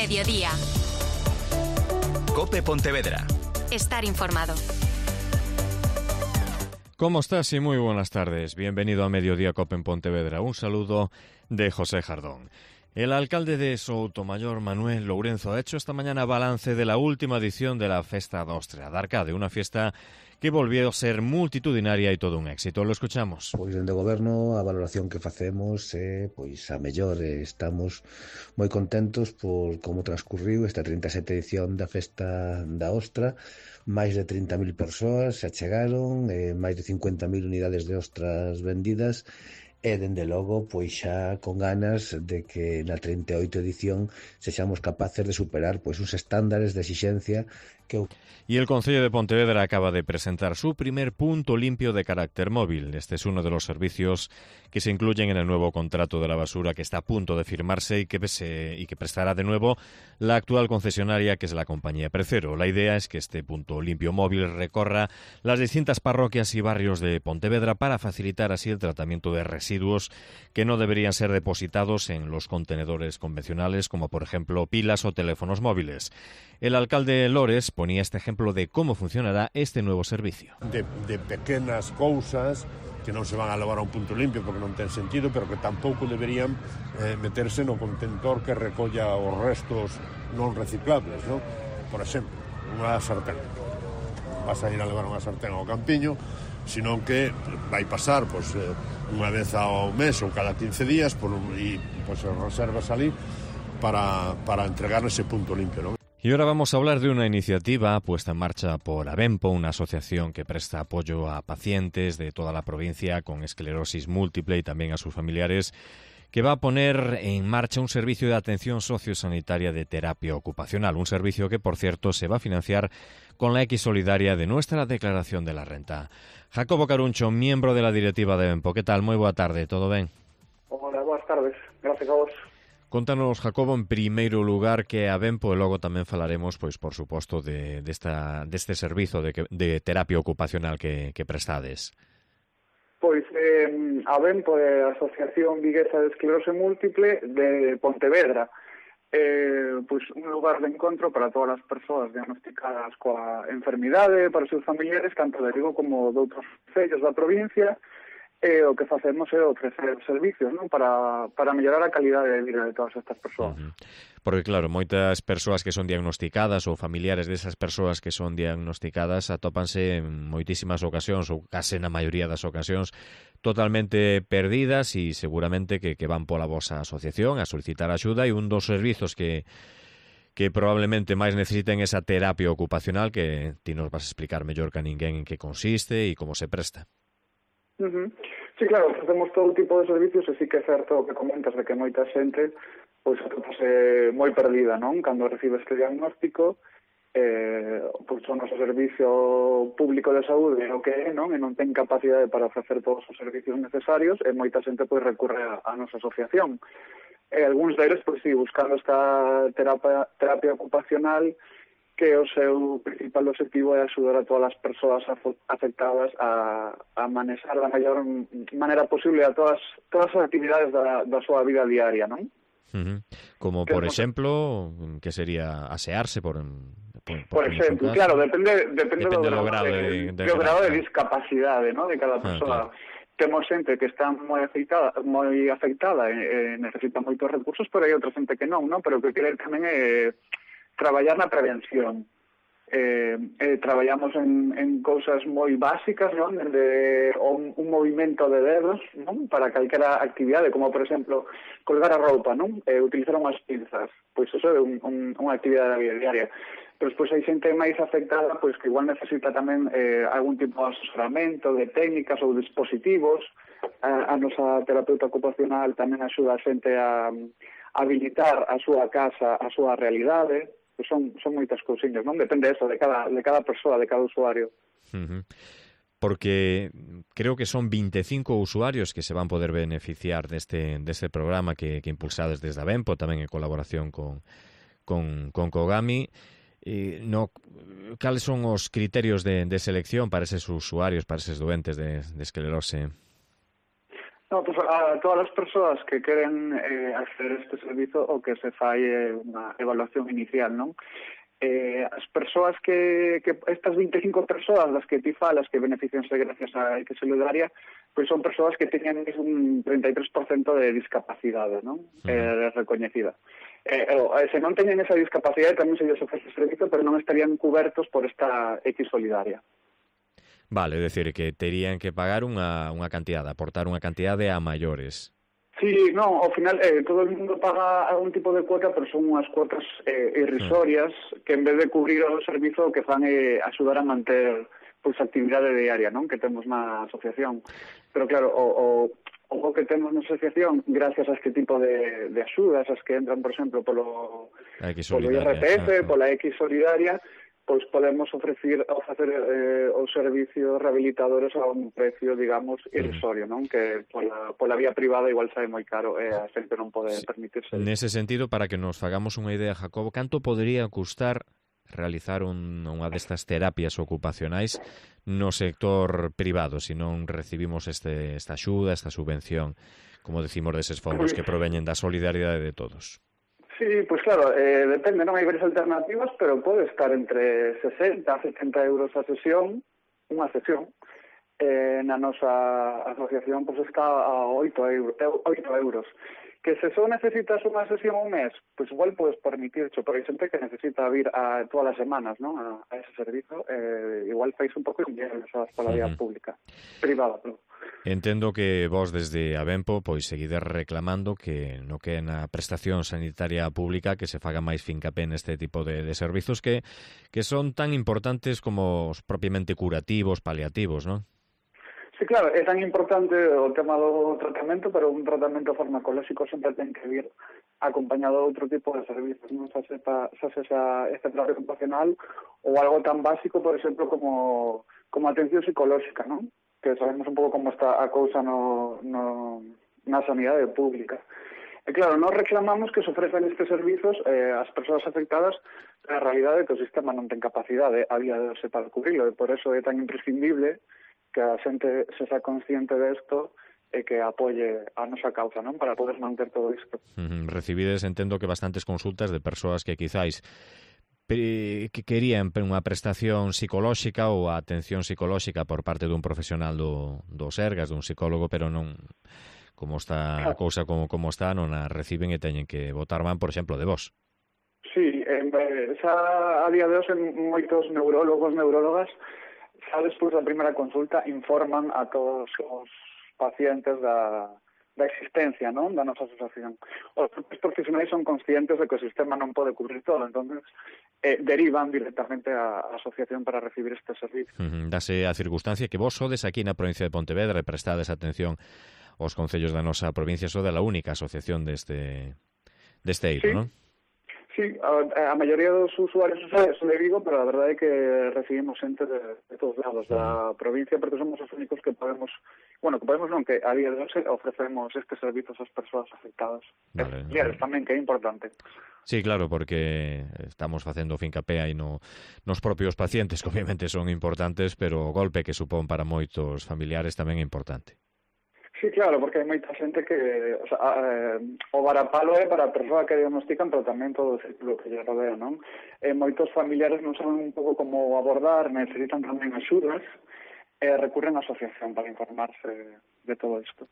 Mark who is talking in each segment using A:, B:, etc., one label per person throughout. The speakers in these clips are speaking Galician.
A: Mediodía.
B: COPE Pontevedra.
A: Estar informado.
C: ¿Cómo estás? Y muy buenas tardes. Bienvenido a Mediodía COPE en Pontevedra. Un saludo de José Jardón. El alcalde de Soutomayor, Manuel Lourenzo, ha hecho esta mañana balance de la última edición de la Festa da Ostrea da Arcade, una fiesta que volvió a ser multitudinaria e todo un éxito. Lo escuchamos.
D: Pois dende o Goberno a valoración que facemos é pois a mellor. Estamos moi contentos por como transcurriu esta 37 edición da Festa da Ostra. Máis de 30.000 persoas se achegaron, máis de 50.000 unidades de ostras vendidas. E, dende logo, pois xa con ganas de que na 38 edición sexamos capaces de superar pois uns estándares de exixencia que...
C: Y el Concello de Pontevedra acaba de presentar su primer punto limpio de carácter móvil. Este es uno de los servicios que se incluyen en el nuevo contrato de la basura que está a punto de firmarse y que prestará de nuevo la actual concesionaria, que es la compañía Precero. La idea es que este punto limpio móvil recorra las distintas parroquias y barrios de Pontevedra para facilitar así el tratamiento de residuos que no deberían ser depositados en los contenedores convencionales, como por ejemplo pilas o teléfonos móviles. El alcalde Lores ponía este ejemplo de cómo funcionará este nuevo servicio.
E: De pequenas cousas que non se van a levar a un punto limpio porque non ten sentido, pero que tampouco deberían meterse no contentor que recolla os restos non reciclables, non? Por exemplo, unha sartén. Vas a ir a levar unha sartén ao campiño, senón que vai pasar pois, unha vez ao mes ou cada 15 días e pois, reservas ali para entregar ese punto limpio, non?
C: Y ahora vamos a hablar de una iniciativa puesta en marcha por Abenpo, una asociación que presta apoyo a pacientes de toda la provincia con esclerosis múltiple y también a sus familiares, que va a poner en marcha un servicio de atención sociosanitaria de terapia ocupacional, un servicio que, por cierto, se va a financiar con la X solidaria de nuestra declaración de la renta. Jacobo Caruncho, miembro de la directiva de Abenpo. ¿Qué tal? Muy buena tarde, ¿todo ben?
F: Hola, boas tardes. Gracias a vos.
C: Contanos, Jacobo, en primeiro lugar que a Abenpo, e logo tamén falaremos, pois, por suposto, deste servizo de terapia ocupacional que prestades.
F: Pois a Abenpo é a Asociación Viguesa de Esclerose Múltiple de Pontevedra. Pois un lugar de encontro para todas as persoas diagnosticadas coa enfermidade, para os seus familiares, tanto de Vigo como de outros concellos da provincia. O que facemos é ofrecer servicios, non? Para mellorar a calidade de vida de todas estas persoas.
C: Porque claro, moitas persoas que son diagnosticadas ou familiares desas persoas que son diagnosticadas atópanse en moitísimas ocasións ou case na maioría das ocasións totalmente perdidas e seguramente que van pola vosa asociación a solicitar axuda, e un dos servizos que probablemente máis necesiten esa terapia ocupacional, que ti nos vas a explicar mellor que a ninguén en que consiste e como se presta.
F: Sí, claro, facemos todo tipo de servicios e sí que é certo o que comentas de que moita xente pois atópase moi perdida, non? Cando recibe este diagnóstico, pois o noso servicio público de saúde é o que é, non? E non ten capacidade para ofrecer todos os servicios necesarios, e moita xente pois recurre a nosa asociación. E algúns deles, pois sí, buscando esta terapia ocupacional, que o seu principal objetivo é axudar a todas as persoas afectadas a manexar da mellor maneira posible a todas as actividades da súa vida diaria, non?
C: Como, por exemplo, que sería asearse, por
F: exemplo, claro, depende do grado de discapacidade, non? De cada persoa. Claro. Temos xente que está moi afectada e necesita moitos recursos, pero hai outra xente que non, pero que querer tamén é traballar na prevención. Traballamos en cousas moi básicas, non? Desde un movimento de dedos, non? Para calquera actividade, como por exemplo colgar a roupa, non? Utilizar unhas pinzas, pois iso é unha actividade da vida diaria. Pero despois hai xente máis afectada, pois que igual necesita tamén algún tipo de asesoramento, de técnicas ou dispositivos. A nosa terapeuta ocupacional tamén axuda a xente a habilitar a súa casa, a súa realidade. Son moitas cousiñas, non? Depende eso, de cada persoa, de cada usuario.
C: Porque creo que son 25 usuarios que se van poder beneficiar deste programa que impulsades desde Abenpo, tamén en colaboración con Kogami. Cales son os criterios de selección para eses usuarios, para eses doentes de esclerose?
F: No, pues a todas as persoas que queren acceder a este servizo o que se fai unha evaluación inicial, non? As persoas que estas 25 persoas das que ti falas que beneficianse gracias a X Solidaria, pois son persoas que teñen un 33% de discapacidade, non? Recoñecida. Se non teñen esa discapacidade tamén se lles ofrece servizo, pero non estarían cubertos por esta X Solidaria.
C: Vale, é dicir, que terían que pagar unha cantidade, aportar unha cantidade a maiores.
F: Sí, no, ao final todo o mundo paga algún tipo de cuota, pero son unhas cuotas irrisorias que en vez de cubrir o servizo o que fan é axudar a manter pois a actividade diaria, non, que temos na asociación. Pero claro, o que temos na asociación, gracias a este tipo de axudas, as que entran, por exemplo, polo IRPF, pola X Solidaria, pois podemos ofrecer os servicios rehabilitadores a un precio, digamos, irrisorio, non? Que pola vía privada igual sae moi caro e a xente non pode permitirse.
C: Nese sentido, para que nos fagamos unha idea, Jacobo, canto podería custar realizar unha destas terapias ocupacionais no sector privado, se non recibimos esta axuda, esta subvención, como decimos, deses fondos que proveñen da solidaridade de todos?
F: Sí, pues claro, depende, non hai varias alternativas, pero pode estar entre 60 a 70 euros a sesión, unha sesión. Na nosa asociación pues está a 8 euros. Que se só necesitas unha sesión un mes, pues igual podes permitircho, pero hai xente que necesita vir a todas as semanas, ¿no? a ese servizo, igual fais un pouco dinero pola vía pública, privada, ¿no?
C: Entendo que vos desde Abenpo pois seguides reclamando que no que na prestación sanitaria pública que se faga máis fincapé neste tipo de servizos que son tan importantes como os propiamente curativos, paliativos, non?
F: Sí, claro, é tan importante o tema do tratamento, pero un tratamento farmacolóxico sempre ten que vir acompañado de outro tipo de servicios, non? Xa sexa este terapia ocupacional ou algo tan básico, por exemplo, como atención psicolóxica, non? Que sabemos un pouco como está a cousa na sanidade pública. E claro, nós reclamamos que se ofrecen estes servizos ás persoas afectadas, pero a realidade é que o sistema non ten capacidade a día de hoxe para cubrirlo, e por eso é tan imprescindible que a xente se xa consciente desto e que apoie a nosa causa, non? Para poder manter todo isto.
C: Recibides, entendo que bastantes consultas de persoas que quizáis que querían unha prestación psicolóxica ou a atención psicolóxica por parte dun profesional do Sergas, dun psicólogo, pero non, como está a cousa como está, non a reciben e teñen que botar man, por exemplo, de vos.
F: Sí, xa a día de hoxe moitos neurólogos, neurólogas, xa despois da primeira consulta informan a todos os pacientes da existencia, non, da nosa asociación. Os profesionais son conscientes de que o sistema non pode cubrir todo, entonces derivan directamente á asociación para recibir este servicio.
C: Dase a circunstancia que vos sodes aquí na provincia de Pontevedra e prestades atención aos concellos da nosa provincia, sode a única asociación deste eido,
F: sí,
C: non?
F: Sí, a maioría dos usuarios son de Vigo, pero a verdade é que recibimos xente de todos lados da provincia, porque somos os únicos que podemos, que a día de hoxe ofrecemos estes servizos ás persoas afectadas.
C: Vale,
F: tamén, que é importante.
C: Sí, claro, porque estamos facendo fincapé aí nos propios pacientes, que obviamente son importantes, pero o golpe que supón para moitos familiares tamén é importante.
F: Sí, claro, porque hai moita xente que o varapalo é para a persoa que diagnostican, pero tamén todo o círculo que lle rodea, non? Moitos familiares non saben un pouco como abordar, necesitan tamén axudas e recurren á asociación para informarse de todo isto.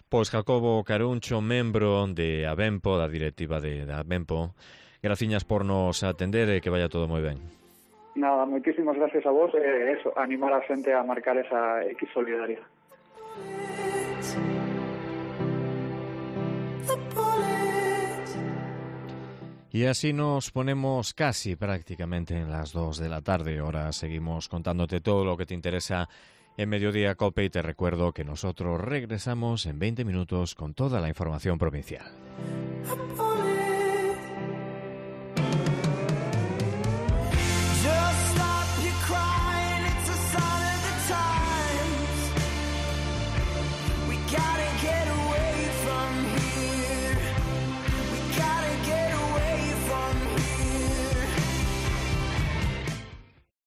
C: Pois Jacobo Caruncho, membro de Abenpo, da directiva de Abenpo, graciñas por nos atender e que vaya todo moi ben.
F: Nada, moitísimas gracias a vos e animar a xente a marcar esa X Solidaria.
C: Y así nos ponemos casi prácticamente en las 2 de la tarde. Ahora seguimos contándote todo lo que te interesa en Mediodía Cope y te recuerdo que nosotros regresamos en 20 minutos con toda la información provincial.